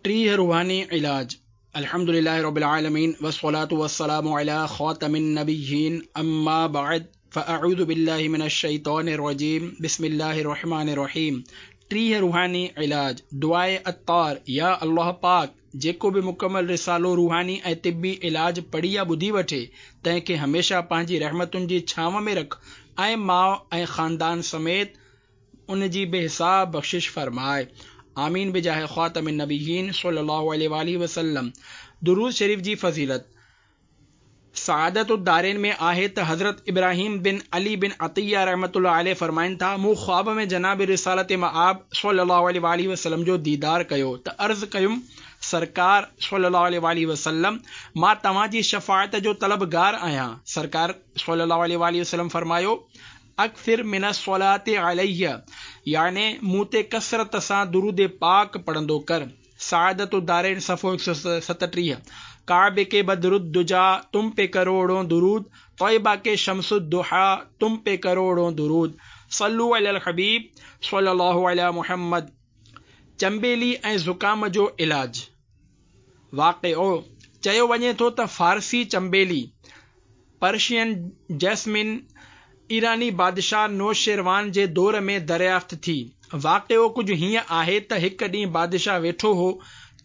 30 روحاني علاج الحمد لله رب العالمين والصلاة والسلام على خاتم النبيين اما بعد فاعوذ بالله من الشيطان الرجيم بسم الله الرحمن الرحيم 30 روحاني علاج دعاء عطار يا الله پاڪ جيڪو به مڪمل رسالو روحاني ۽ طبي علاج پڙهي يا ٻڌي وٺي تنهن کي هميشه پنهنجي رحمتن جي ڇانو ۾ رک ۽ ماء ۽ خاندان سميت ان جي بي حساب بخشش فرماء. آمين بجاه خاتم النبيين صلي الله عليه واٰله وسلم درود شريف جي فضيلت سعادت الدارين ۾ آهي ته حضرت ابراهيم بن علي بن عطيه رحمة الله عليه فرمائن ٿا، مون خواب ۾ جناب رسالت مآب صلي الله عليه واٰله وسلم جو ديدار ڪيو ته عرض ڪيم، سرڪار صلي الله عليه واٰله وسلم مان توهان جي شفاعت جو طلبگار آهيان. سرڪار صلي الله عليه واٰله وسلم فرمايو، اڪثر من الصلوة علي يعني مون تي ڪثرت سان درود پاڪ پڙهندو ڪر. سعادت الدارين صفحو 137 ڪعبي ڪي بدر الدجيٰ تم پي ڪروڙون درود طيبه ڪي شمس الضحيٰ تم پي ڪروڙون درود صلو علي الحبيب صلي الله علي محمد چنبيلي ۽ زڪام جو علاج واقعو، چيو وڃي ٿو ته فارسي چنبيلي، Persian Jasmine، ايراني بادشاهه نوشيروان جي دور ۾ دريافت ٿي. واقعو ڪجهه هيئن آهي ته هڪ ڏينهن بادشاهه ويٺو هو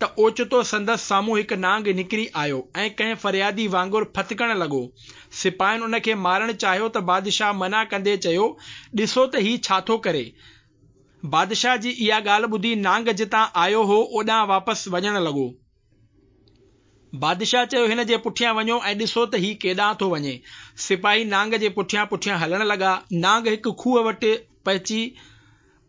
ته اوچتو سندس سامهون هڪ نانگ نڪري آيو ۽ ڪنهن فريادي وانگر ڦٿڪڻ لڳو. سپاهين ان کي مارڻ چاهيو ته بادشاهه منع ڪندي چيو، ڏسو ته هي ڇا ٿو ڪري؟ بادشاهه جي اها ڳالهه ٻڌي نانگ جتان آيو هو اوڏانهن واپس وڃڻ لڳو. بادشاهه چيو هن جي پٺيان وڃو ۽ ڏسو ته هي ڪيڏانهن ٿو وڃي. سپاهي نانگ جي پٺيان پٺيان هلڻ لڳا. نانگ هڪ کوهه وٽ پهچي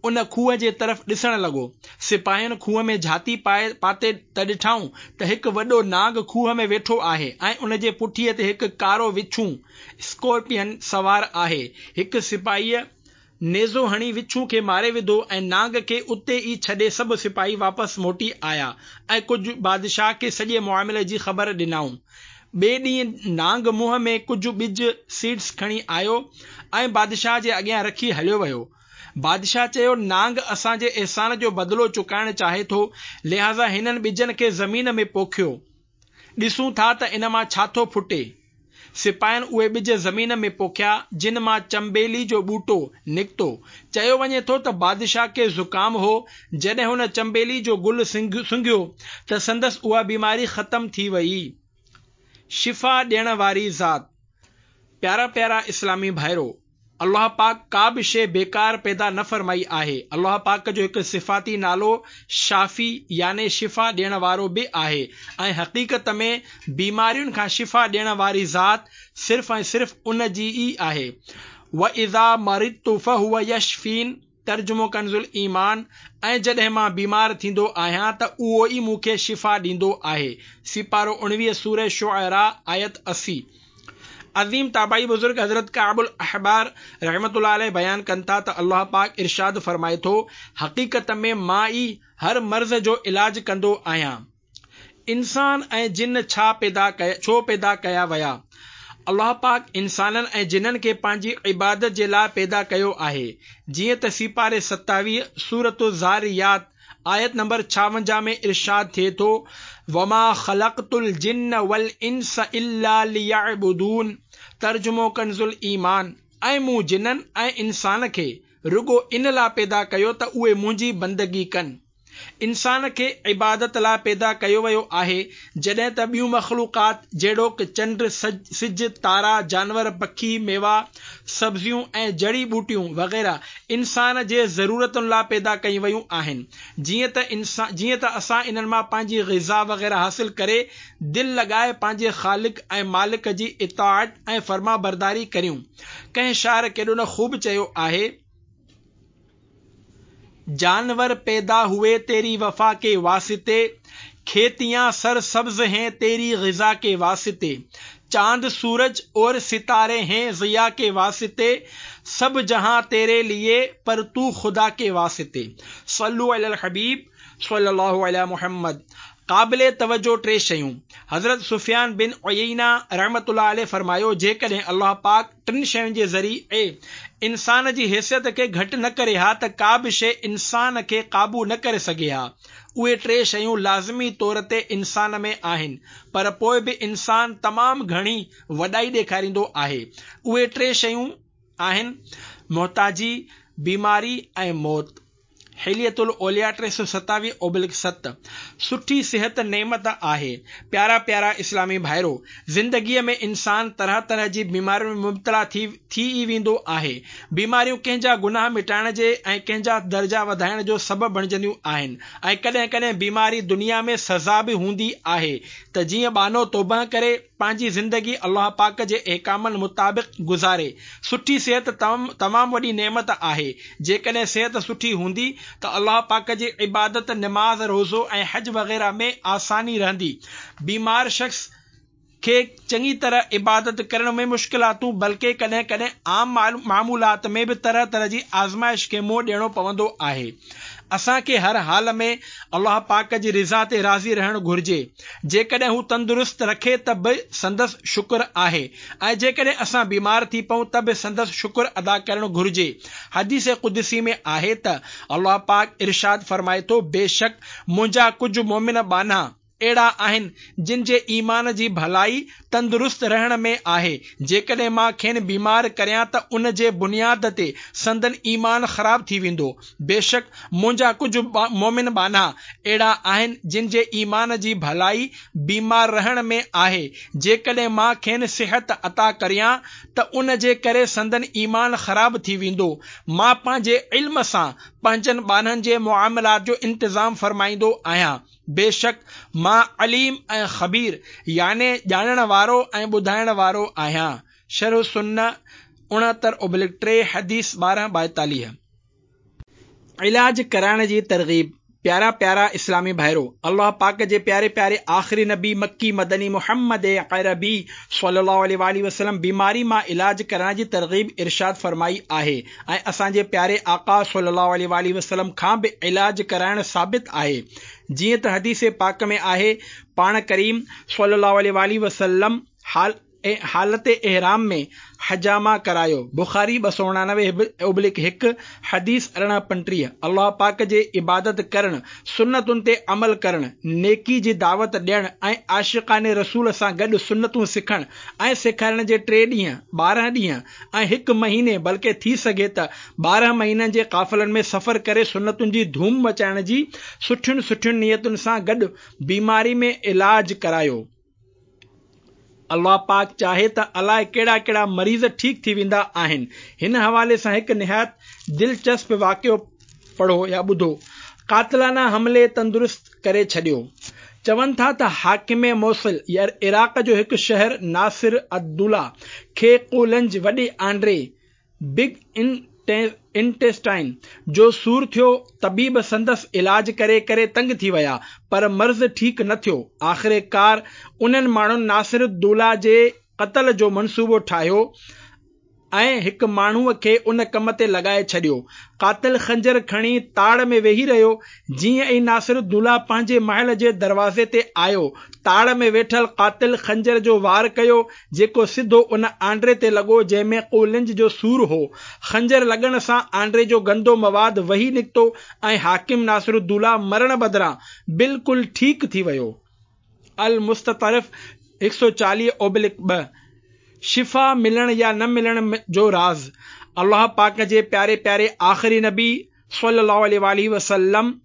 ان کوهه جي طرف ڏسڻ لڳو. سپاهين کوهه ۾ جهاتي پاتي ته ڏٺائون ته هڪ وڏو نانگ کوهه ۾ ويٺو آهي ۽ ان جي پٺيء تي هڪ ڪارو وڇون، Scorpion، سوار آهي. هڪ سپاهيء نيزو هڻي وڇون کي ماري وڌو ۽ نانگ کي اتي ئي ڇڏي سڀ سپاهي واپس موٽي آيا ۽ ڪجهه بادشاهه کي سڄي معاملي جي خبر ڏنائون. ٻئي ڏينهن نانگ منهن ۾ ڪجهه ٻج، Seeds، کڻي آيو ۽ بادشاهه جي اڳيان رکي هليو ويو. بادشاهه چيو، نانگ اسان جي احسان جو بدلو چڪائڻ چاهي ٿو، لهٰذا هنن ٻجن کي زمين ۾ پوکيو. ڏسون ٿا ته ان مان ڇا ٿو ڦٽي. سپاهين اهي ٻج زمين ۾ پوکيا، جن مان چنبيلي جو ٻوٽو نڪتو. چيو وڃي ٿو ته بادشاهه کي زڪام هو، جڏهن هن چنبيلي جو گل سنگهيو ته سندس اها بيماري ختم ٿي ويئي. شفا ڏيڻ واري ذات. پيارا پيارا اسلامي ڀائرو! الله پاڪ ڪا به شيء بيڪار پيدا نه فرمائي آهي. الله پاڪ جو هڪ صفاتي نالو شافي يعني شفا ڏيڻ وارو به آهي ۽ حقيقت ۾ بيمارين کان شفا ڏيڻ واري ذات صرف ۽ صرف ان جي ئي آهي. واذا مرضت فهو يشفين ترجمو ڪنزالايمان، ۽ جڏهن مان بيمار ٿيندو آهيان ته اهو ئي مون کي شفا ڏيندو آهي. سيپارو 19 سوره شعراء آيت 80. عظيم تابعي بزرگ حضرت ڪعب الاحبار رحمة الله عليه بيان ڪن ٿا ته الله پاڪ ارشاد فرمائي ٿو، حقيقت ۾ مان ئي هر مرض جو علاج ڪندو آهيان. انسان ۽ جن ڇا پيدا ڇو پيدا ڪيا ويا؟ الله پاڪ انسانن ۽ جنن کي پنهنجي عبادت جي لاء پيدا ڪيو آهي. جيئن ته سيپاري 27 سورة الذاريات آيت نمبر 56 ۾ ارشاد ٿئي ٿو، وما خلقت الجن والانس الا ليعبدون ترجمو ڪنزالايمان، ۽ مون جنن ۽ انسان کي رڳو ان لاء پيدا ڪيو ته اهي منهنجي بندگي ڪن. انسان کي عبادت لاء پيدا ڪيو ويو آهي، جڏهن ته ٻيون مخلوقات جهڙوڪ چنڊ، سج، تارا، جانور، پکي، ميوا، سبزيون ۽ جڙي ٻوٽيون وغيره انسان جي ضرورتن لاء پيدا ڪيون ويون آهن، جيئن ته جيئن ته اسان انهن مان پنهنجي غذا وغيره حاصل ڪري دل لڳائي پنهنجي خالق ۽ مالڪ جي اطاعت ۽ فرمانبرداري ڪريون. ڪنهن شاعر ڪيڏو نه خوب چيو آهي. جانور پيدا هوئي تيري وفا ڪي واسطي، کيتيان سر سبز هين تيري غذا ڪي واسطي، چاند سورج اور ستاري هين ضيا ڪي واسطي، سب جهان تيري ليي پر تو خدا ڪي واسطي. صلو علي الحبيب صلي الله علي محمد قابل توجه ٽي شيون، حضرت سفيان بن عيينه رحمة الله عليه فرمايو، جيڪڏهن الله پاڪ ٽن شين جي ذريعي انسان جي حيثيت کي گهٽ نه ڪري ها ته ڪا به شيء انسان کي قابو نه ڪري سگهي ها. اهي ٽي شيون لازمي طور تي انسان ۾ آهن، پر پوء به انسان تمام گهڻي وڏائي ڏيکاريندو آهي. اهي ٽي شيون آهن، محتاجي، بيماري ۽ موت. حلية الاولياء 327 اوبلڪ 7، سٺي صحت نعمت آهي. پيارا پيارا اسلامي ڀائرو! زندگيء ۾ انسان طرح طرح جي بيمارين ۾ مبتلا ٿي ٿي ئي ويندو آهي. بيماريون ڪنهن جا گناهه مٽائڻ جي ۽ ڪنهن جا درجا وڌائڻ جو سبب بڻجنديون آهن ۽ ڪڏهن ڪڏهن بيماري دنيا ۾ سزا به هوندي آهي ته جيئن ٻانهو توبهه ڪري پنهنجي زندگي الله پاڪ جي احڪامن مطابق گذاري. سٺي صحت تمام وڏي نعمت آهي. جيڪڏهن صحت سٺي هوندي ته الله پاڪ جي عبادت، نماز، روزو ۽ حج وغيره ۾ آساني رهندي. بيمار شخص کي چڱي طرح عبادت ڪرڻ ۾ مشڪلاتون بلڪه ڪڏهن ڪڏهن عام معمولات ۾ به طرح طرح جي آزمائش کي منهن ڏيڻو پوندو آهي. اسان کي هر حال ۾ الله پاڪ جي رضا تي راضي رهڻ گهرجي. جيڪڏهن هو تندرست رکي ته به سندس شڪر آهي ۽ جيڪڏهن اسان بيمار ٿي پئون ته به سندس شڪر ادا ڪرڻ گهرجي. حديث قدسي ۾ آهي ته الله پاڪ ارشاد فرمائي ٿو، بيشڪ منهنجا ڪجهه مؤمن ٻانها اهڙا آهن جن جي ايمان جي ڀلائي تندرست رهڻ ۾ آهي، جيڪڏهن مان کين بيمار ڪريان ته ان جي بنياد تي سندن ايمان خراب ٿي ويندو. بيشڪ منهنجا ڪجهه مؤمن ٻانها اهڙا آهن جن جي ايمان جي ڀلائي بيمار رهڻ ۾ آهي، جيڪڏهن مان کين صحت عطا ڪريان ته ان جي ڪري سندن ايمان خراب ٿي ويندو. مان پنهنجي علم سان پنهنجن ٻانهن جي معاملات جو انتظام فرمائيندو آهيان. بيشڪ مان عليم ۽ خبير يعني ڄاڻڻ وارو ۽ ٻڌائڻ وارو آهيان. شرح السنة 69 اوبلڪ 3 حديث 12 42. علاج ڪرائڻ جي ترغيب پيارا پيارا اسلامي ڀائرو! الله پاڪ جي پياري پياري آخري نبي مڪي مدني محمد عربي صلي الله عليه واٰله وسلم بيماري مان علاج ڪرائڻ جي ترغيب ارشاد فرمائي آهي ۽ اسان جي پياري آقا صلي الله عليه واٰله وسلم کان به علاج ڪرائڻ ثابت آهي جيئن ته حديث پاڪ ۾ آهي پاڻ ڪريم صلي الله عليه واٰله وسلم حال حالت احرام ۾ حجامه ڪرايو، بخاري 289 اوبلڪ 1، حديث 1835، الله پاڪ جي عبادت ڪرڻ، سنتن تي عمل ڪرڻ، نيڪي جي دعوت ڏيڻ ۽ عاشقان رسول سان گڏ سنتون سکڻ ۽ سيکارڻ جي ٽي ڏينهن، 12 ڏينهن ۽ هڪ مهيني بلڪه ٿي سگهي ته 12 مهينن جي قافلن ۾ سفر ڪري سنتن جي ڌوم مچائڻ جي سٺين سٺين نيتن سان گڏ بيماري ۾ علاج ڪرايو. الله پاڪ چاهي ته الائي ڪهڙا ڪهڙا مريض ٺيڪ ٿي ويندا آهن. هن حوالي سان هڪ نهايت دلچسپ واقعو پڙهو يا ٻڌو. قاتلانه حملي تندرست ڪري ڇڏيو. چون ٿا ته حاڪم موصل عراق جو هڪ شهر ناصر الدوله کي قولنج وڏي آنڊري، Big Intestine، جو سور ٿيو، طبيب سندس علاج ڪري ڪري تنگ ٿي ويا، پر مرض ٺيڪ نه ٿيو. آخرڪار انهن ماڻهن ناصر الدوله جي قتل جو منصوبو ٺاهيو ۽ هڪ ماڻهوء کي ان ڪم تي لڳائي ڇڏيو. قاتل خنجر کڻي تاڙ ۾ ويهي رهيو. جيئن ئي ناصر الدوله پنهنجي محل جي دروازي تي آيو، تاڙ ۾ ويٺل قاتل خنجر جو وار ڪيو، جيڪو سڌو ان آنڊري تي لڳو جنهن ۾ قولنج جو سور هو. خنجر لڳڻ سان آنڊري جو گندو مواد وهي نڪتو ۽ حاڪم ناصرالدوله مرڻ بدران بلڪل ٺيڪ ٿي ويو. المستطرف 140 اوبلڪ 2. شفا ملڻ يا نه ملڻ جو راز الله پاڪ جي پياري پياري آخري نبي صلّي اللّٰه عليه واٰله وسلّم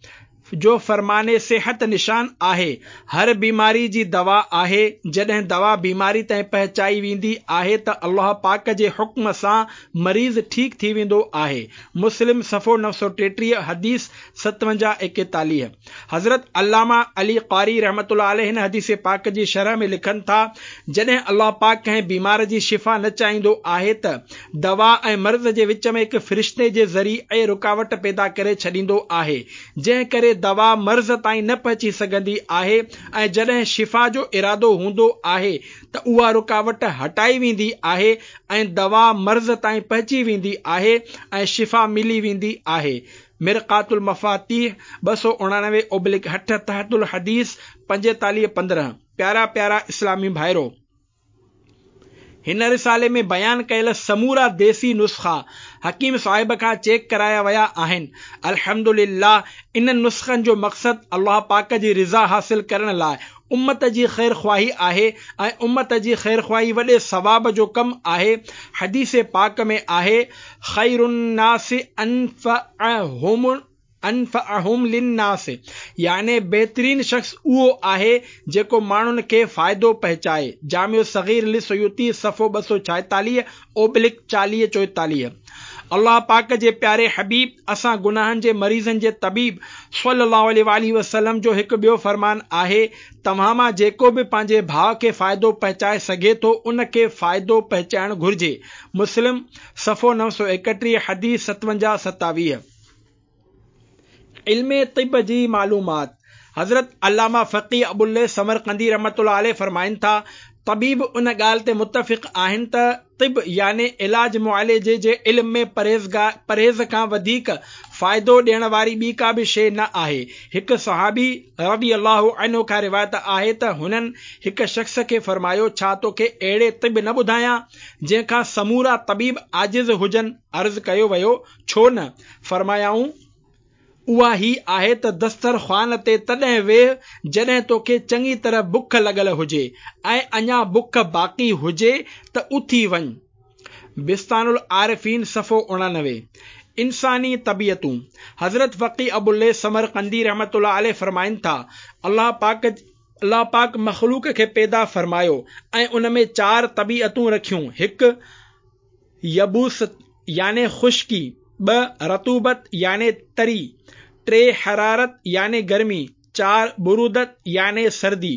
جو فرمان صحت نشان آهي، هر بيماري جي دوا آهي، جڏهن دوا بيماري تائين پهچائي ويندي آهي ته الله پاڪ جي حڪم سان مريض ٺيڪ ٿي ويندو آهي، مسلم صفحو 933 حديث 57 41. حضرت علامه علي قاري رحمة الله عليه هن حديث پاڪ جي شرح ۾ لکن ٿا، جڏهن الله پاڪ ڪنهن بيمار جي شفا نه چاهيندو آهي ته دوا ۽ مرض جي وچ ۾ هڪ فرشتي جي ذريعي رڪاوٽ پيدا ڪري ڇڏيندو آهي، جنهن ڪري دوا مرض تائين نه پهچي سگهندي آهي ۽ جڏهن شفا جو ارادو هوندو آهي ته اها رڪاوٽ هٽائي ويندي آهي ۽ دوا مرض تائين پهچي ويندي آهي ۽ شفا ملي ويندي آهي. مرقات المفاتيح 289 اوبلڪ 8 تحت الحديث 45 15 پيارا پيارا اسلامي ڀائرو! هن رسالي ۾ بيان ڪيل سمورا ديسي نسخا حڪيم صاحب کان چيڪ ڪرايا ويا آهن. الحمد لله انهن نسخن جو مقصد الله پاڪ جي رضا حاصل ڪرڻ لاء امت جي خيرخواهي آهي ۽ امت جي خيرخواهي وڏي ثواب جو ڪم آهي. حديث پاڪ ۾ آهي، خير الناس انفعهم انفعهم للناس يعني بهترين شخص اهو آهي جيڪو ماڻهن کي فائدو پهچائي، جامع الصغير للسيوطي صفحو 246 اوبلڪ 40 44. الله پاڪ جي پياري حبيب اسان گناهن جي مريضن جي طبيب صلّي الله عليه واٰله وسلّم جو هڪ ٻيو فرمان آهي، توهان مان جيڪو به پنهنجي ڀاء کي فائدو پهچائي سگهي ٿو ان کي فائدو پهچائڻ گهرجي، مسلم، صفحو 931 حديث 57 27. علم طب جي معلومات، حضرت علامه فقيه ابوالليث سمرقندي رحمة الله عليه فرمائن ٿا، طبيب ان ڳالهه تي متفق آهن ته طب يعني علاج معالجي جي علم ۾ پرهيز کان وڌيڪ فائدو ڏيڻ واري ٻي ڪا به شيء نه آهي. هڪ صحابي رضي الله عنه کان روايت آهي ته هنن هڪ شخص کي فرمايو، ڇا توکي اهڙي طب نه ٻڌايان، جنهن کان سمورا طبيب عاجز هجن؟ عرض ڪيو ويو، ڇو نه؟ فرمايائون، اها هي آهي ته دستر خوان تي تڏهن ويهه جڏهن توکي چڱي طرح بک لڳل هجي ۽ اڃا بک باقي هجي ته اٿي وڃ. بستان العارفين صفحو 89. انساني طبيعتون، حضرت فقيه ابوالليث سمرقندي رحمة الله عليه فرمائن ٿا، الله پاڪ الله پاڪ مخلوق کي پيدا فرمايو ۽ ان ۾ چار طبيعتون رکيون، هڪ. يبوست يعني خشڪي، ٻه رطوبت يعني تري، ٽي حرارت يعني گرمي، چار برودت يعني سردي.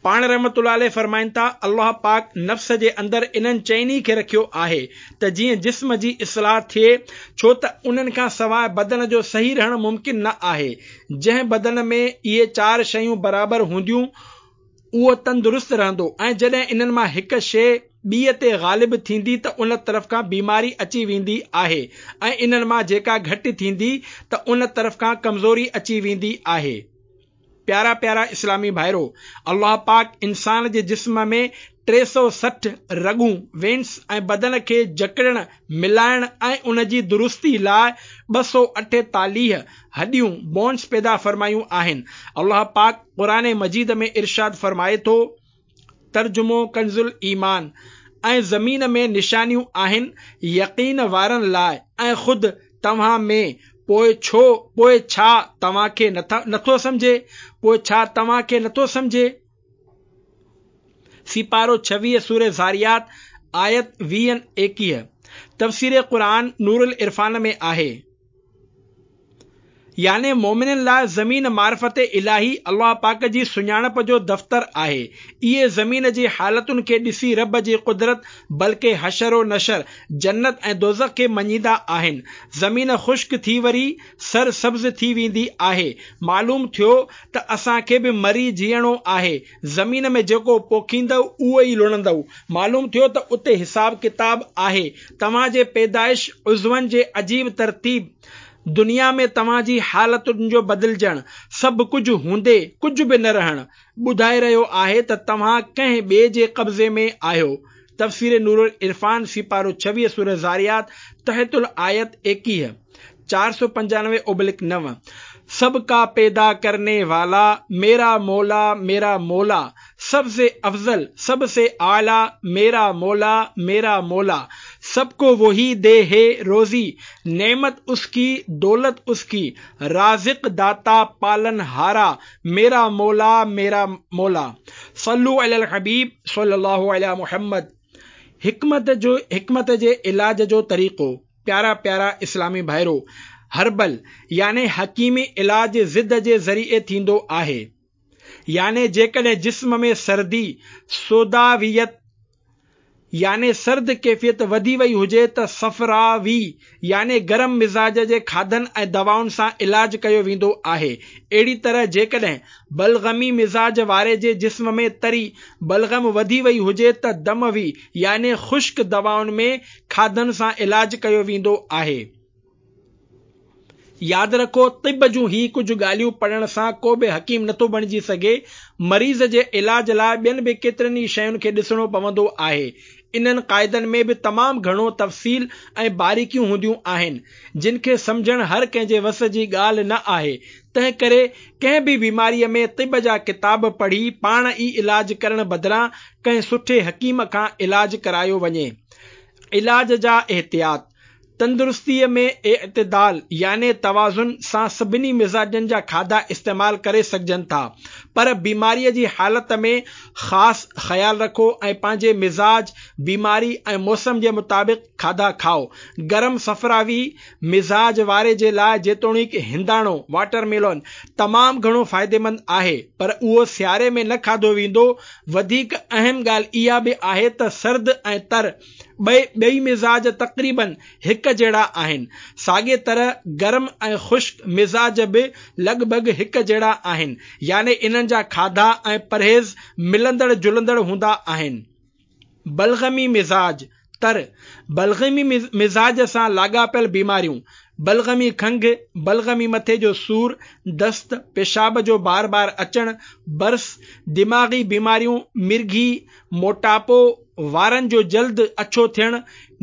پاڻ رحمة الله عليه فرمائن ٿا، الله پاڪ نفس جي اندر انهن چئني کي رکيو آهي ته جيئن جسم جي اصلاح ٿئي ڇو ته انهن کان سواء بدن جو صحيح رهڻ ممڪن نه آهي. جنهن بدن ۾ اهي چار شيون برابر هونديون اهو تندرست رهندو ۽ جڏهن انهن مان هڪ شيء ٻيء تي غالب ٿيندي ته ان طرف کان بيماري اچي ويندي آهي ۽ انهن مان جيڪا گهٽ ٿيندي ته ان طرف کان ڪمزوري اچي ويندي آهي. پيارا پيارا اسلامي ڀائرو! الله پاڪ انسان جي جسم ۾ 360 رڳون، Veins، ۽ بدن کي جڪڙڻ، ملائڻ ۽ ان جي درستي لاء 248 هڏيون، Bones، پيدا فرمايون آهن. الله پاڪ قرآن مجيد ۾ ارشاد فرمائي ٿو، ترجمو ڪنزالايمان، ۽ زمين ۾ نشانيون آهن يقين وارن لاء ۽ خود توهان ۾، پوء ڇو، پوء ڇا توهان کي نٿو سمجهي، پوء ڇا توهان کي نٿو سمجهي؟ سيپارو 26 سوره ذاريات آيت 20 21 تفسير قرآن نورالعرفان ۾ آهي. يعني مؤمنن لاء زمين معرفت الاهي، الله پاڪ جي سڃاڻپ جو دفتر، آهي. اهي زمين جي حالتن کي ڏسي رب جي قدرت بلڪه حشر و نشر، جنت ۽ دوزخ کي مڃيندا آهن. زمين خشڪ ٿي وري سر سبز ٿي ويندي آهي. معلوم ٿيو ته اسان کي به مري جيئڻو آهي، زمين ۾ جيڪو پوکيندؤ اهو ئي لڻندؤ. معلوم ٿيو ته اتي حساب ڪتاب آهي. توهان جي پيدائش، عضون جي عجيب ترتيب، دنيا ۾ توهان جي حالتن جو بدلجڻ، سڀ ڪجهه هوندي ڪجهه به نه رهڻ، ٻڌائي رهيو آهي ته توهان ڪنهن ٻئي جي قبضي ۾ آهيو. تفسير نورالعرفان سيپارو 26 سوره ذاريات تحت الآيت 21. 495 اوبلڪ 9 سب ڪا پيدا ڪرني والا ميرا مولا ميرا مولا سب سي افضل سب سي اعليٰ ميرا مولا ميرا مولا سب ڪو وهي the هي روزي نعمت اس ڪي دولت اس ڪي رازق داتا پالن هارا ميرا مولا ميرا مولا صلو علي الحبيب صلي الله علي محمد حڪمت جو حڪمت جي علاج جو طريقو پيارا پيارا اسلامي ڀائرو! هربل يعني حڪيمي علاج ضد جي ذريعي ٿيندو آهي. يعني جيڪڏهن جسم ۾ سردي، سوداويت يعني سرد ڪيفيت وڌي وئي هجي ته صفراوي يعني گرم مزاج جي کاڌن ۽ دوائن سان علاج ڪيو ويندو آهي. اهڙي طرح جيڪڏهن بلغمي مزاج واري جي جسم ۾ تري بلغم وڌي وئي هجي ته دموي يعني خشڪ دوائن ۾ کاڌن سان علاج ڪيو ويندو آهي. ياد رکو طب جون هي ڪجهه ڳالهيون پڙهڻ سان ڪو به حڪيم نٿو بڻجي سگهي، مريض جي علاج لاء ٻين به ڪيترين ئي شين کي ڏسڻو پوندو آهي. انهن قاعدن ۾ به تمام گهڻو تفصيل ۽ باريڪيون هونديون آهن، جن کي سمجهڻ هر ڪنهن جي وس جي ڳالهه نه آهي، تنهن ڪري ڪنهن به بيماريء ۾ طب جا ڪتاب پڙهي پاڻ ئي علاج ڪرڻ بدران ڪنهن سٺي حڪيم کان علاج ڪرايو وڃي. علاج جا احتياط. تندرستيء ۾ اعتدال يعني توازن سان سڀني مزاجن جا کاڌا استعمال ڪري سگهجن ٿا، پر بيماريء جي حالت ۾ خاص خيال رکو ۽ پنهنجي مزاج، بيماري ۽ موسم جي مطابق کاڌا کائو. گرم صفراوي مزاج واري جي لاء جيتوڻيڪ هنداڻو، Water Melon، تمام گهڻو فائديمند آهي، پر اهو سياري ۾ نه کاڌو ويندو. وڌيڪ اهم ڳالهه اها به آهي ته سرد ۽ تر ٻئي ٻئي مزاج تقريباً هڪ جهڙا آهن. ساڳيء طرح گرم ۽ خشڪ مزاج به لڳ ڀڳ هڪ جهڙا آهن، يعني انهن جا کاڌا ۽ پرهيز ملندڙ جلندڙ هوندا آهن. بلغمي مزاج، تر، بلغمي مزاج سان لاڳاپيل بيماريون، بلغمي کنگهه، بلغمي مٿي جو سور، دست، پيشاب جو بار بار اچڻ، برس، دماغي بيماريون، مرگهي، موٽاپو، وارن جو جلد اڇو ٿيڻ،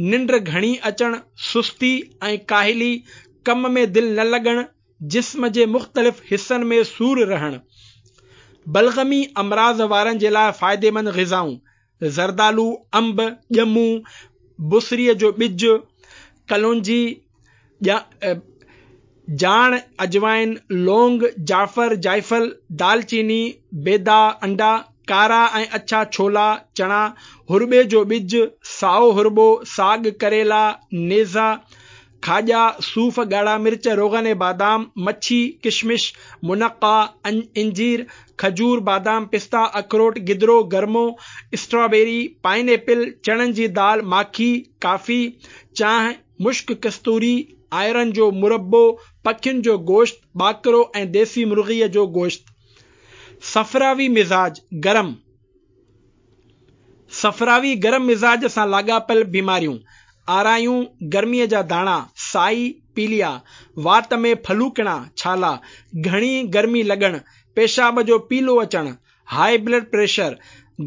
ننڊ گهڻي اچڻ، سستي ۽ ڪاهلي، ڪم ۾ دل نه لڳڻ، جسم جي مختلف حصن ۾ سور رهڻ. بلغمي امراض وارن جي لاء فائديمند غذائون، زردالو، انب، ڄمون، بصريء جو ٻج، ڪلونجي، جاڻ، اجوائن، لونگ، جعفر، جائفل، دالچيني، بيدا، انڊا، ڪارا ۽ اڇا ڇولا، چڻا، هرٻي جو ٻج، سائو هرٻو، ساڳ، ڪريلا، نيزا، کاڄا، صوف، ڳاڙها مرچ، روغن بادام، مڇي، ڪشمش، منقا، انجير، کجور، بادام، پستا، اکروٽ، گدرو، گرمو، اسٽرابيري، پائن ايپل، چڻن جي دال، ماکي، ڪافي، چانهه، مشڪ ڪستوري، آئرن جو مربو، پکين جو گوشت، ٻاڪرو ۽ ديسي مرغيء جو گوشت. صفراوي مزاج، گرم. صفراوي گرم مزاج سان لاڳاپيل بيماريون، آرايون، گرميء جا داڻا، سائي، پيليا، وات ۾ ڦلوڪڻا، ڇالا، گهڻي گرمي لڳڻ، پيشاب جو پيلو اچڻ، هاء بلڊ پريشر،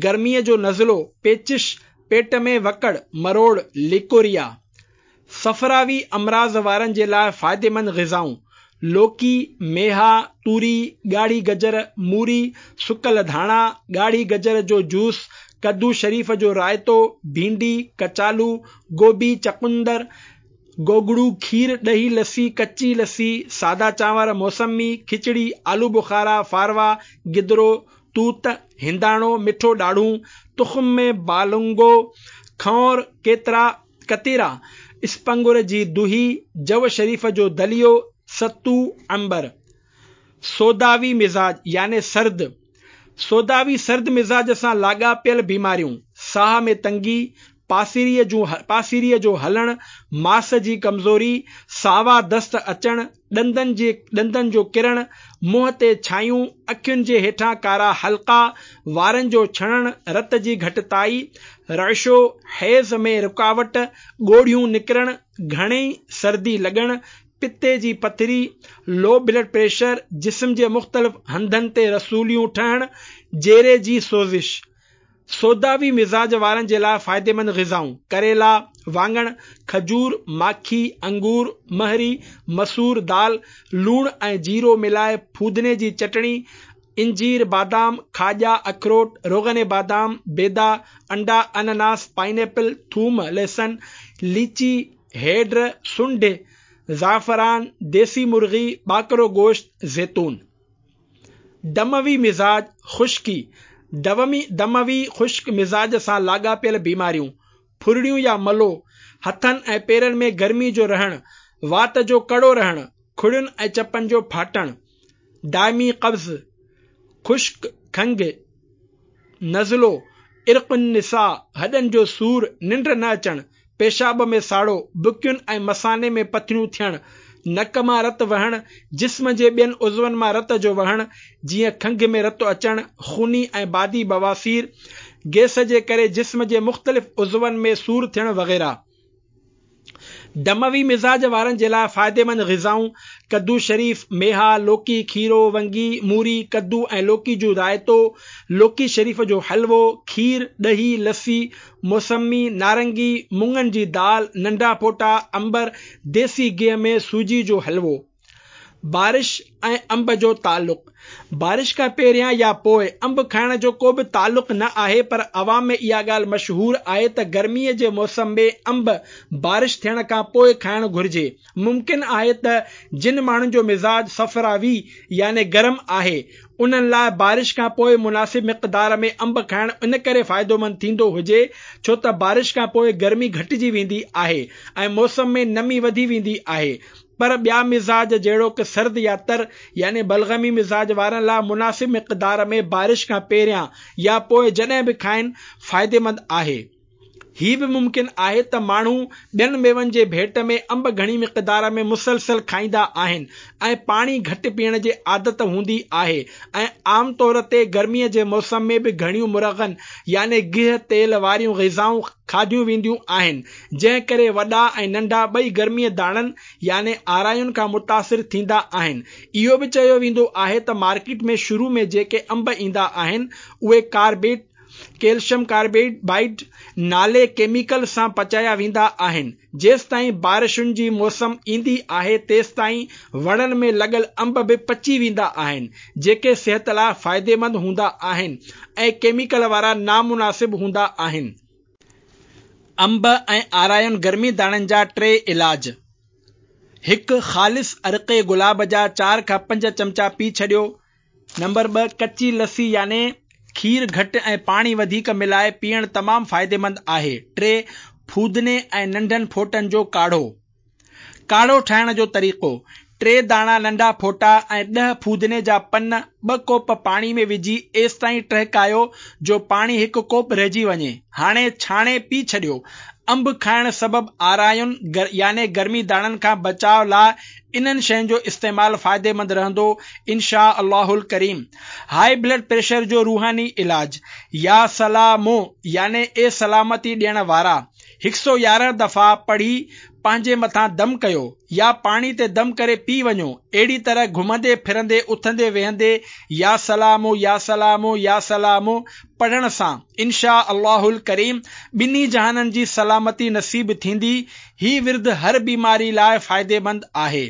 گرميء جو نزلو، پيچش، پيٽ ۾ وڪڙ، مروڙ، ليڪوريا. صفراوي امراض وارن جي لاء فائديمند غذائون، لوڪي، ميها، توري، ڳاڙهي گجر، موري، سڪل ڌاڻا، ڳاڙهي گجر جو جوس، ڪدو شريف جو رائتو، ڀينڊي، ڪچالو، گوبي، چقندر، گوگڙو، کير، ڏهي، لسي، ڪچي لسي، سادا چانور، موسمي، کچڙي، آلو بخارا، فاروا، گدرو، توت، هنداڻو، مٺو ڏاڙهون، تخم ۾ بالنگو، کنئور، ڪيترا، ڪتيرا، اسپنگر جي دهي، جو شريف جو دليو، ستو، عنبر. سوداوي مزاج يعني سرد، سوداوي سرد مزاج سان لاڳاپيل بيماريون، ساهه ۾ تنگي، پاسيريء جون پاسيريء جو هلڻ، ماس جي ڪمزوري، ساوا دست اچڻ، ڏندن جي ڏندن جو ڪرڻ، منهن تي ڇايون، اکين جي هيٺان ڪارا حلقا، وارن جو ڇڻڻ، رت جي گهٽتائي، رعشو، حيض ۾ رڪاوٽ، ڳوڙهيون نڪرڻ، گهڻي سردي لڳڻ، پتي جي پٿري، لو بلڊ پريشر، جسم جي مختلف هنڌن تي رسوليون ٺهڻ، جيري جي سوزش. سوداوي مزاج وارن جي لاء فائديمند غذائون، ڪريلا، واڱڻ، کجور، ماکي، انگور، مهري، مسور دال، لوڻ ۽ جيرو ملائي ڦودني جي چٽڻي، انجير، بادام، کاڄا، اکروٽ، روغن بادام، بيدا، انڊا، انناس، پائن ايپل، ٿوم، لهسن، ليچي، هيڊ، سنڍ، زعفران، ديسي مرغي، ٻاڪرو گوشت، زيتون. دموي مزاج، خشڪي، دومي دموي خشڪ مزاج سان لاڳاپيل بيماريون، ڦرڙيون يا ملو، هٿن ۽ پيرن ۾ گرمي جو رهڻ، وات جو ڪڙو رهڻ، کڙين ۽ چپن جو ڦاٽڻ، دائمي قبض، خشڪ کنگهه، نزلو، عرق النساء، هڏن جو سور، ننڊ نه اچڻ، پيشاب ۾ ساڙو، بڪين ۽ مثاني ۾ پٿريون ٿيڻ، نڪ مان رت وهڻ، جسم جي ٻين عضون مان رت جو وهڻ، جيئن کنگهه ۾ رت اچڻ، خوني ۽ بادي بواسير، گئس جي ڪري جسم جي مختلف عضون ۾ سور ٿيڻ وغيره. دموي مزاج وارن جي لاء فائديمند غذائون، ڪدو شريف، ميها، لوڪي، کيرو، ونگي، موري، ڪدو ۽ لوڪي جو رائتو، لوڪي شريف جو حلوو، کير، ڏهي، لسي، موسمي، نارنگي، مڱن جي دال، ننڍا ڦوٽا، عنبر، ديسي گيهه ۾ سوجي جو حلوو. بارش ۽ انب جو تعلق، بارش کان پهريان يا پوء انب کائڻ جو ڪو به تعلق نه آهي پر عوام ۾ اها ڳالهه مشهور آهي ته گرميء جي موسم ۾ انب بارش ٿيڻ کان پوء کائڻ گهرجي. ممڪن آهي ته جن ماڻهن جو مزاج صفراوي يعني گرم آهي انهن لاء بارش کان پوء مناسب مقدار ۾ انب کائڻ ان ڪري فائدومند ٿيندو هجي ڇو ته بارش کان پوء گرمي گهٽجي ويندي آهي ۽ موسم ۾ نمي وڌي ويندي آهي پر ٻيا مزاج جهڙوڪ سرد يا تر يعني بلغمي مزاج وارن لاء مناسب مقدار ۾ بارش کان پهريان يا پوء جڏهن به کائن فائديمند آهي. هي به ممڪن آهي ته ماڻهو ٻين ميون جي ڀيٽ ۾ انب گهڻي مقدار ۾ مسلسل کائيندا آهن ۽ پاڻي گهٽ پيئڻ جي عادت هوندي آهي ۽ عام طور تي گرميء جي موسم ۾ به گهڻيون مرغن يعني گيهه تيل واريون غذائون کاڌيون وينديون آهن، جنهن ڪري وڏا ۽ ننڍا ٻئي گرمي داڻن يعني آراين کان متاثر ٿيندا آهن. اهو به چيو ويندو آهي ته مارڪيٽ ۾ شروع ۾ جيڪي انب ايندا آهن، اهي ڪاربيٽ، ڪيلشم ڪاربائيڊ، نالي ڪيميڪل سان پچايا ويندا آهن. جيستائين بارشن جي موسم ايندي آهي تيستائين وڻن ۾ لڳل انب به پچي ويندا آهن، جيڪي صحت لاء فائديمند هوندا آهن ۽ ڪيميڪل وارا نامناسب هوندا آهن. انب ۽ آراين گرمي داڻن جا ٽي علاج، هڪ. خالص عرق گلاب جا چار کان پنج چمچا پي ڇڏيو. نمبر ٻه. ڪچي لسي يعني کير گهٽ ۽ پاڻي وڌيڪ ملائي پيئڻ تمام فائديمند آهي. ٽي. ڦودني ۽ ننڍن ڦوٽن جو ڪاڙهو. ڪاڙهو ٺاهڻ جو طريقو، ٽي داڻا ننڍا ڦوٽا ۽ ڏهه ڦودني جا پن ٻه ڪوپ پاڻي ۾ وجهي ايستائين ٽهڪايو جو پاڻي هڪ ڪوپ رهجي وڃي. هاڻي ڇاڻي پي ڇڏيو. انب کائڻ سبب آراين يعني گرمي داڻن کان بچاء لاء انهن شين جو استعمال فائديمند رهندو انشاء الله الڪريم. هاء بلڊ پريشر جو روحاني علاج، يا سلامو يعني اي سلامتي ڏيڻ وارا! هڪ سئو 11 دفعا پڙهي پنهنجي مٿان دم ڪيو يا پاڻي تي دم ڪري پي وڃو، اهڙي طرح گهمندي ڦرندي اٿندي ويهندي يا سلام يا سلام يا سلام پڙهڻ سان ان شآء الله الڪريم ٻنهي جهانن جي سلامتي نصيب ٿيندي، هي ورد هر بيماري لاء فائديمند آهي.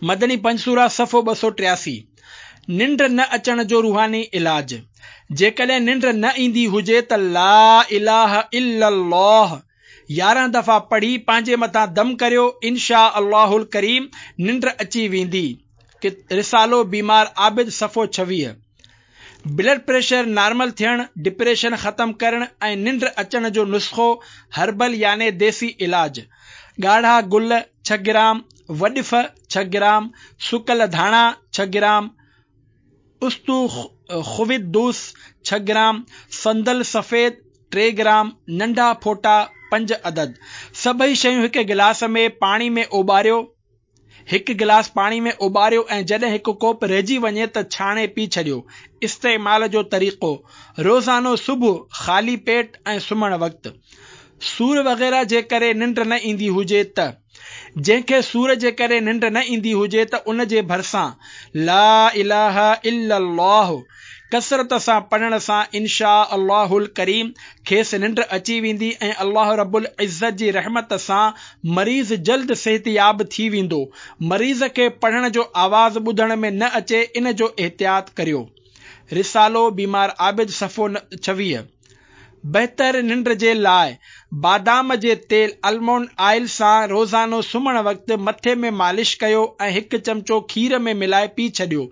مدني پنجسورة صفحو 283، ننڊ نه اچڻ جو روحاني علاج، جيڪڏهن ننڊ نه ايندي هجي ته لا اله الا الله 11 دفعا پڙهي پنهنجي مٿان دم ڪريو ان شآء الله الڪريم ننڊ اچي ويندي، رسالو بيمار عابد صفحو 26. بلڊ پريشر نارمل ٿيڻ، ڊپريشن ختم ڪرڻ ۽ ننڊ اچڻ جو نسخو هربل يعني ديسي علاج، ڳاڙها گل ڇهه گرام، وڏف ڇهه گرام، سڪل ڌاڻا ڇهه گرام، اسطوخودوس ڇهه گرام، صندل سفيد ٽي گرام، ننڍا ڦوٽا پنج عدد. سڀئي شيون هڪ گلاس ۾ پاڻي ۾ اوٻاريو. هڪ گلاس پاڻي ۾ اوٻاريو ۽ جڏهن هڪ ڪوپ رهجي وڃي ته ڇاڻي پي ڇڏيو. استعمال جو طريقو، روزانو صبح خالي پيٽ ۽ سمهڻ وقت. سور وغيره جي ڪري ننڊ نه ايندي هجي ته. جنهن کي سور جي ڪري ننڊ نه ايندي هجي ته ان جي ڀرسان لا اله الا الله ڪثرت سان پڙهڻ سان ان شآء الله الڪريم کيس ننڊ اچي ويندي ۽ الله رب العزت جي رحمت سان مريض جلد صحتياب ٿي ويندو. مريض کي پڙهڻ جو آواز ٻڌڻ ۾ نه اچي ان جو احتياط ڪريو. رسالو بيمار عابد صفحو 26. بهتر ننڊ جي لاء بادام جي تيل Almond Oil سان روزانو سمهڻ وقت مٿي ۾ مالش ڪيو ۽ هڪ چمچو کير ۾ ملائي پي ڇڏيو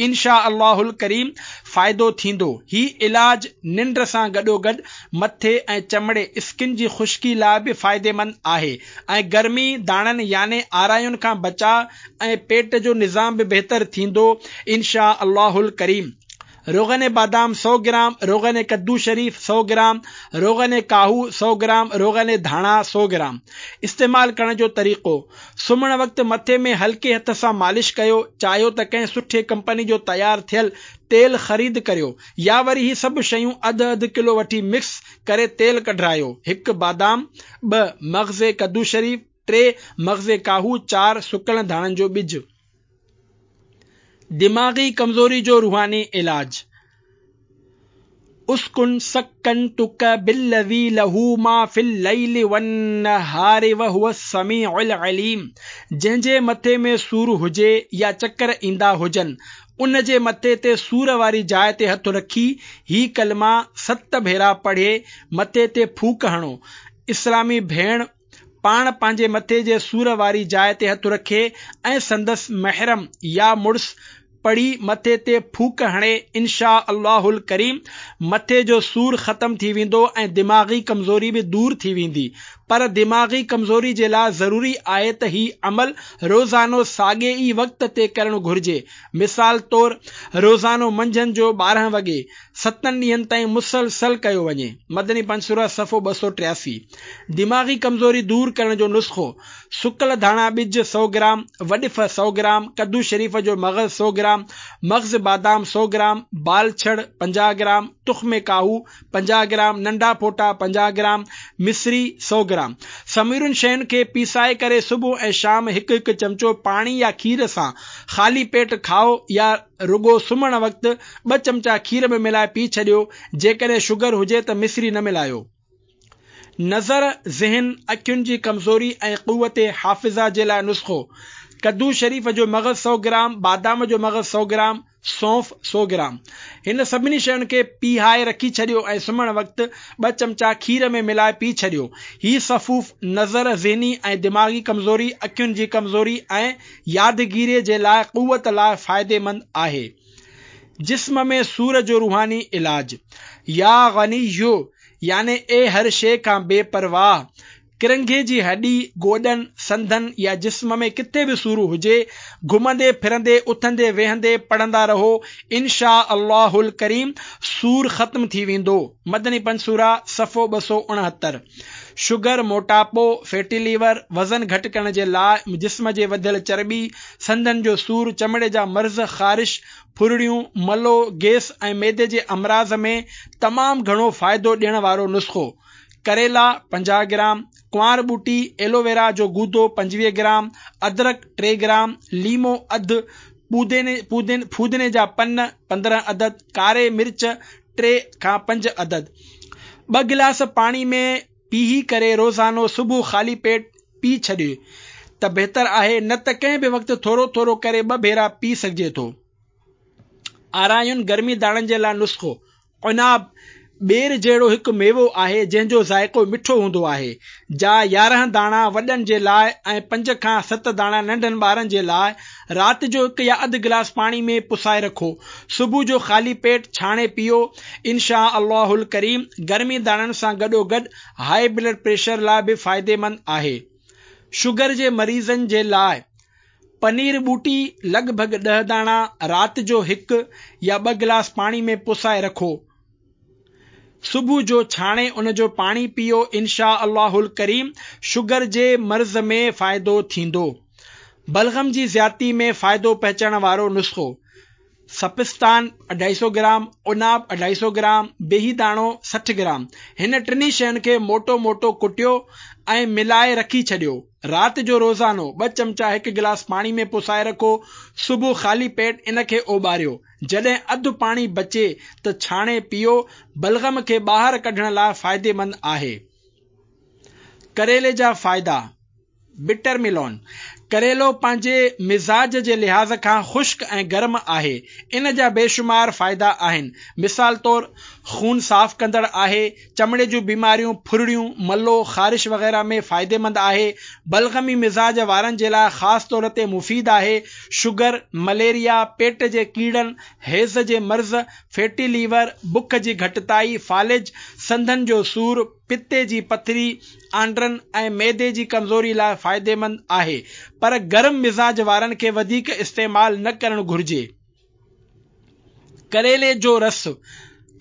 ان شآء الله الڪريم فائدو ٿيندو. هي علاج ننڊ سان گڏوگڏ مٿي ۽ چمڙي Skin جي خشڪي لاء به فائديمند آهي ۽ گرمي داڻن يعني آراين کان بچاء ۽ پيٽ جو نظام به بهتر ٿيندو ان شآء الله الڪريم. روغن بادام سؤ گرام، روغن ڪدو شريف سؤ گرام، روغن ڪاهو سؤ گرام، روغن ڌاڻا سؤ گرام. استعمال ڪرڻ جو طريقو، سمهڻ وقت مٿي ۾ هلڪي هٿ سان مالش ڪيو، چاهيو ته ڪنهن سٺي ڪمپني جو تيار ٿيل تيل خريد ڪريو يا وري هي سڀ شيون اڌ اڌ ڪلو وٺي مڪس ڪري تيل ڪڍرايو. هڪ بادام، ٻه مغز ڪدو شريف، ٽي مغز ڪاهو، چار سڪل ڌاڻن جو ٻج. دماغي ڪمزوري جو روحاني علاج. اسڪن سڪنتک بالذي له ما في الليل والنهار وهو السميع العليم جنهن جي مٿي ۾ سور هجي يا چڪر ايندا هجن ان جي مٿي تي سور واري جاء تي هٿ رکي هي ڪلما ست ڀيرا پڙهي مٿي تي ڦوڪ هڻو. اسلامي ڀيڻ پاڻ پنهنجي مٿي جي سور واري جاء تي هٿ رکي ۽ سندس محرم يا مڙس پڙهي مٿي تي ڦوڪ هڻي ان شآء الله الڪريم مٿي جو سور ختم ٿي ويندو ۽ دماغي ڪمزوري به دور ٿي ويندي پر دماغي ڪمزوري جي لاء ضروري آهي ته هي عمل روزانو ساڳي ئي وقت تي ڪرڻ گهرجي مثال طور روزانو منجهند جو 12 وڳي ستن ڏينهن تائين مسلسل ڪيو وڃي. مدني پنسوره صفحو 283. دماغي ڪمزوري دور ڪرڻ جو نسخو، سڪل ڌاڻا ٻج سؤ گرام، وڏف سؤ گرام، ڪدو شريف جو مغز سؤ گرام، مغز بادام سؤ گرام، بالڇڙ 50 گرام، تخم ڪاهو 50 گرام، ننڍا ڦوٽا 50 گرام، مصري سؤ گرام. سمورين شين کي پيسائي ڪري صبح ۽ شام هڪ هڪ چمچو پاڻي يا کير سان خالي پيٽ کائو يا رڳو سمهڻ وقت ٻه چمچا کير ۾ ملائي پي ڇڏيو، جيڪڏهن شگر هجي ته مصري نه ملايو. نظر، ذهن، اکين جي ڪمزوري ۽ قوت حافظه جي لاء نسخو، ڪدو شريف جو مغز سؤ گرام، بادام جو مغز سؤ گرام، سونف سؤ گرام. هن سڀني شين کي پيهائي رکي ڇڏيو ۽ سمهڻ وقت ٻه چمچا کير ۾ ملائي پي ڇڏيو. هي سفوف نظر، ذهني ۽ دماغي ڪمزوري، اکين جي ڪمزوري ۽ يادگيريء جي لاء قوت لاء فائديمند آهي. جسم ۾ سور جو روحاني علاج. يا غني يعني اي هر شيء کان بي پرواهه! ڪرنگهي جي هڏي، گوڏن، سنڌن يا جسم ۾ ڪٿي به سور هجي، گهمندي ڦرندي، اٿندي ويهندي پڙهندا رهو، ان شآء الله الڪريم سور ختم ٿي ويندو. مدني پنسوره، صفحو 269. شگر، موٽاپو، فيٽي ليور، وزن گهٽ ڪرڻ جي لاء جسم جي وڌيل چرٻي، سنڌن جو سور، چمڙي جا مرض، خارش، ڦرڙيون، ملو، گيس ۽ معدي جي امراض ۾ تمام گهڻو فائدو ڏيڻ وارو نسخو، ڪريلا 50 گرام، ڪنوار ٻوٽي، ايلوويرا جو گودو 25 گرام، ادرڪ 3 گرام، ليمو اڌ، ڦودني جا پن 15 عدد، ڪاري مرچ 3 کان 5 عدد. ٻه گلاس پاڻي ۾ پيهي ڪري روزانو صبح خالي پيٽ پي ڇڏيو ته بهتر آهي نه ته ڪنهن به وقت ٿورو ٿورو ڪري ٻه ڀيرا پي سگهجي ٿو. آراين گرمي داڻن جي لاء نسخو، عناب ٻير جهڙو هڪ ميوو آهي جنهن جو ذائقو مٺو هوندو آهي، جا 11 داڻا وڏن جي لاء ۽ پنج کان ست داڻا ننڍن ٻارن جي لاء رات جو هڪ يا اڌ گلاس پاڻي ۾ پسائي رکو، صبح جو خالي پيٽ ڇاڻي پيئو، ان شآء الله الڪريم گرمي داڻن سان گڏوگڏ هاء بلڊ پريشر لاء به فائديمند آهي. شگر جي مريضن جي لاء پنير ٻوٽي لڳ ڀڳ ڏهه داڻا رات جو هڪ يا ٻه گلاس پاڻي ۾ پسائي رکو، صبح جو ڇاڻي ان جو پاڻي پيئو ان شآء الله الڪريم شگر جي مرض ۾ فائدو ٿيندو. بلغم جي زيادتي ۾ فائدو پهچڻ وارو نسخو، سپستان اڍائي سؤ گرام، عناب اڍائي سؤ گرام، بيهي داڻو 60 گرام. هن ٽنهي شين کي موٽو موٽو ڪٽيو ۽ ملائي رکي ڇڏيو. رات جو روزانو ٻه چمچا هڪ گلاس پاڻي ۾ پسائي رکو. صبح خالي پيٽ ان کي اوٻاريو. جڏهن اڌ پاڻي بچي ته ڇاڻي پيئو. بلغم کي ٻاهر ڪڍڻ لاء فائديمند آهي. ڪريلي جا فائدا. بٽر ميلون ڪريلو پنهنجي مزاج جي لحاظ کان خشڪ ۽ گرم آهي. ان جا بيشمار فائدا آهن. مثال طور خون صاف ڪندڙ آهي، چمڙي جون بيماريون، ڦرڙيون، ملو، خارش وغيره ۾ فائديمند آهي، بلغمي مزاج وارن جي لاء خاص طور تي مفيد آهي، شگر، مليريا، پيٽ جي ڪيڙن، هيض جي مرض، فيٽي ليور، بک جي گهٽتائي، فالج، سنڌن جو سور، پتي جي پٿري، آنڊرن ۽ معدي جي ڪمزوري لاء فائديمند آهي پر گرم مزاج وارن کي وڌيڪ استعمال نه ڪرڻ گهرجي. ڪريلي جو رس،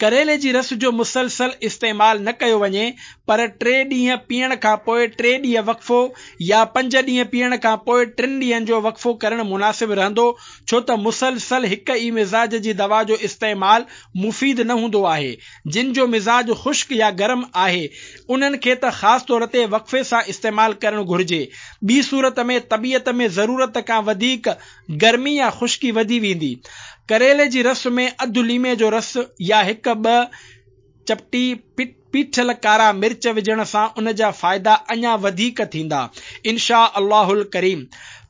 ڪريلي جي رس جو مسلسل استعمال نه ڪيو وڃي پر ٽي ڏينهن پيئڻ کان پوء ٽي ڏينهن وقفو يا پنج ڏينهن پيئڻ کان پوء ٽن ڏينهن جو وقفو ڪرڻ مناسب رهندو ڇو ته مسلسل هڪ ئي مزاج جي دوا جو استعمال مفيد نه هوندو آهي. جن جو مزاج خشڪ يا گرم آهي انهن کي ته خاص طور تي وقفي سان استعمال ڪرڻ گهرجي ٻي صورت ۾ طبيعت ۾ ضرورت کان وڌيڪ گرمي يا خشڪي وڌي ويندي. ڪريلي جي رس ۾ اڌ ليمي جو رس يا هڪ ٻه چپٽي پيٺل ڪارا مرچ وجهڻ سان ان جا فائدا اڃا وڌيڪ ٿيندا. انشاء الله الڪريم.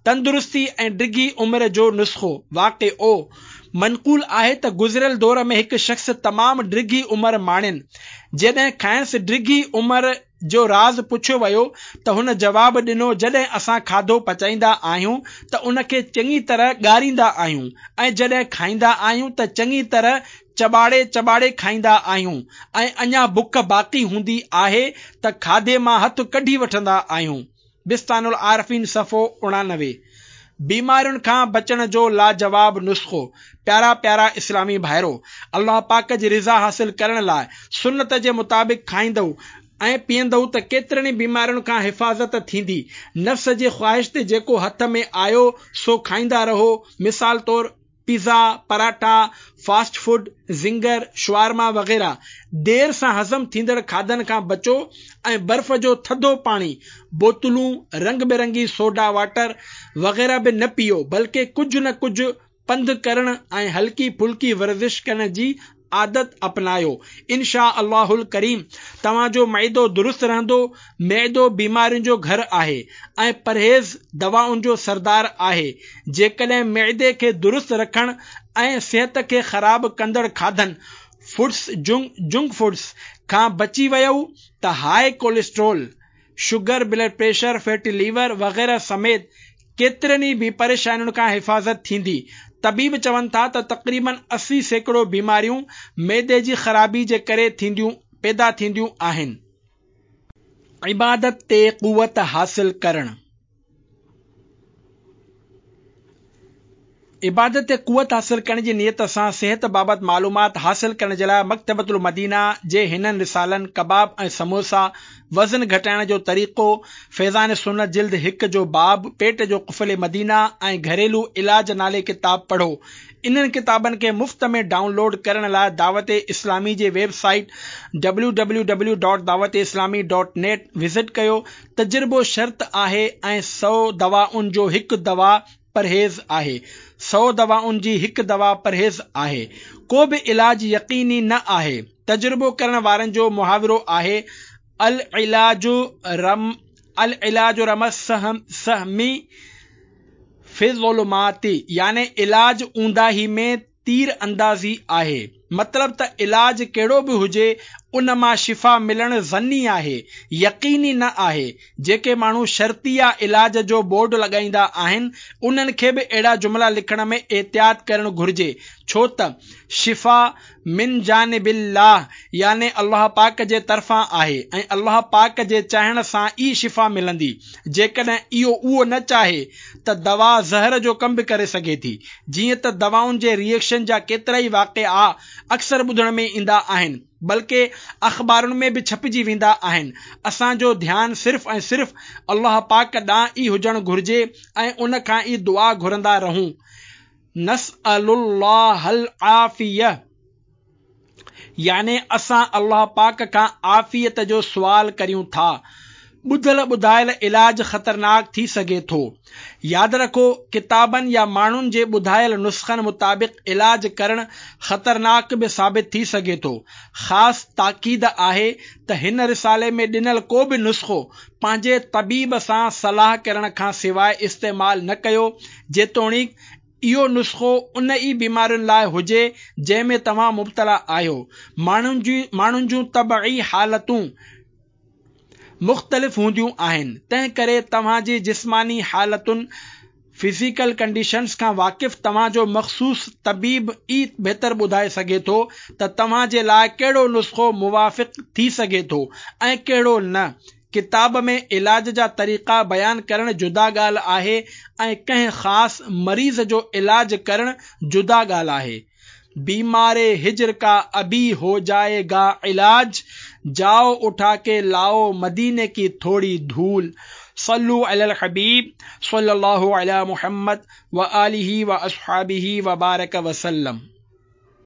تندرستي ۽ ڊگهي عمر جو نسخو، واقعو، منقول آهي ته گذريل دور ۾ هڪ شخص تمام ڊگهي عمر ماڻين. جڏهن کانئس ڊگهي عمر جو راز پڇيو ويو ته هن جواب ڏنو جڏهن اسان کاڌو پچائيندا آهيون ته ان کي چڱي طرح ڳاريندا آهيون ۽ جڏهن کائيندا آهيون ته چڱي طرح چٻاڙي چٻاڙي کائيندا آهيون ۽ اڃا بک باقي هوندي آهي ته کاڌي مان هٿ ڪڍي وٺندا آهيون. بستان العارفين صفحو 89. بيمارين کان بچڻ جو لاجواب نسخو پيارا پيارا اسلامي ڀائرو! الله پاڪ جي رضا حاصل ڪرڻ لاء سنت جي مطابق کائيندؤ ۽ پيئندؤ ته ڪيترين ئي بيمارين کان حفاظت ٿيندي. نفس جي خواهش تي جيڪو هٿ ۾ آيو سو کائيندا رهو، مثال طور pizza, paratha, fast food, zinger, shawarma وغيره. دير سان هضم ٿيندڙ کاڌن کان بچو ۽ برف جو ٿڌو پاڻي، بوتلون، رنگ برنگي سوڊا واٽر وغيره به نه پيئو بلڪه ڪجهه نه ڪجهه پنڌ ڪرڻ ۽ هلڪي ڦلڪي ورزش ڪرڻ جي عادت اپنايو. انشاء الله الڪريم توهان جو معدو درست رهندو. معدو بيمارين جو گهر آهي ۽ پرهيز دوائن جو سردار آهي. جيڪڏهن معدي کي درست رکڻ ۽ صحت کي خراب ڪندڙ کاڌن، فوڊس جنڪ فوڊس، کان بچي ويئو ته high cholesterol, sugar, blood pressure, fatty liver وغيره سميت ڪيترين ئي به پريشانين کان حفاظت ٿيندي. طبيب چون ٿا ته تقريبن 80% بيماريون معدي جي خرابي جي ڪري ٿينديون پيدا ٿينديون آهن. عبادت تي قوت حاصل ڪرڻ. عبادت تي قوت حاصل ڪرڻ جي نيت سان صحت بابت معلومات حاصل ڪرڻ جي لاء مڪتبة المدينه جي هنن رسالن ڪباب ۽ سموسا، وزن گهٽائڻ جو طريقو، فيضان سنت جلد هڪ جو باب پيٽ جو قفل مدينه ۽ گهريلو علاج نالي ڪتاب پڙهو. انهن ڪتابن کي مفت ۾ ڊائون لوڊ ڪرڻ لاء دعوت اسلامي جي web site www dot Dawat Islami dot net visit ڪيو. تجربو شرط آهي ۽ سئو دوائن جو هڪ دوا پرهيز آهي. سئو دوائن جي هڪ دوا پرهيز آهي. ڪو به علاج يقيني نه آهي. تجربو ڪرڻ وارن جو محاورو آهي العلاج رم العلاج رمي السهم في الظلمات يعني علاج اونداهي ۾ تير اندازي آهي. مطلب ته علاج ڪهڙو به هجي ان مان شفا ملڻ ظني آهي، يقيني نه آهي. جيڪي ماڻهو شرطيه علاج جو بورڊ لڳائيندا آهن انهن کي به اهڙا جملا لکڻ ۾ احتياط ڪرڻ گهرجي ڇو ته شفا من جانب الله يعني الله پاڪ جي طرفان آهي ۽ الله پاڪ جي چاهڻ سان ئي شفا ملندي، جيڪڏهن اهو اهو نه چاهي ته دوا زهر جو ڪم به ڪري سگهي ٿي، جيئن ته دوائن جي ري ايڪشن جا ڪيترائي واقعا اڪثر ٻڌڻ ۾ ايندا آهن بلڪه اخبارن ۾ به ڇپجي ويندا آهن، اسان جو ڌيان صرف ۽ صرف الله پاڪ ڏانهن ئي هجڻ گهرجي ۽ ان کان ئي دعا گهرندا رهون. نسأل الله العافيه يعني اسان الله پاڪ کان عافيت جو سوال ڪريون ٿا. ٻڌل ٻڌايل علاج خطرناڪ ٿي سگهي ٿو. ياد رکو ڪتابن يا ماڻهن جي ٻڌايل نسخن مطابق علاج ڪرڻ خطرناڪ به ثابت ٿي سگهي ٿو. خاص تاڪيد آهي ته هن رسالي ۾ ڏنل ڪو به نسخو پنهنجي طبيب سان صلاح ڪرڻ کان سواء استعمال نه ڪيو جيتوڻيڪ اهو نسخو ان ئي بيمارين لاء هجي جنهن ۾ توهان مبتلا آهيو. ماڻهن جون طبعي حالتون مختلف هونديون آهن، تنهن ڪري توهان جي جسماني حالتن، Physical Conditions، کان واقف توهان جو مخصوص طبيب ئي بهتر ٻڌائي سگهي ٿو ته توهان جي لاء ڪهڙو نسخو موافق ٿي سگهي ٿو ۽ ڪهڙو نه. ڪتاب ۾ علاج جا طريقا بيان ڪرڻ جدا ڳالهه آهي ۽ ڪنهن خاص مريض جو علاج ڪرڻ جدا ڳالهه آهي. बीमारे हिजर का अभी हो जाएगा इलाज, जाओ उठा के लाओ मदीने की थोड़ी धूल। सल्लु अलल हबीब सल्लल्लाहु अला मुहम्मद व आलिहि व अस्हाबिहि व बारक वसल्लम।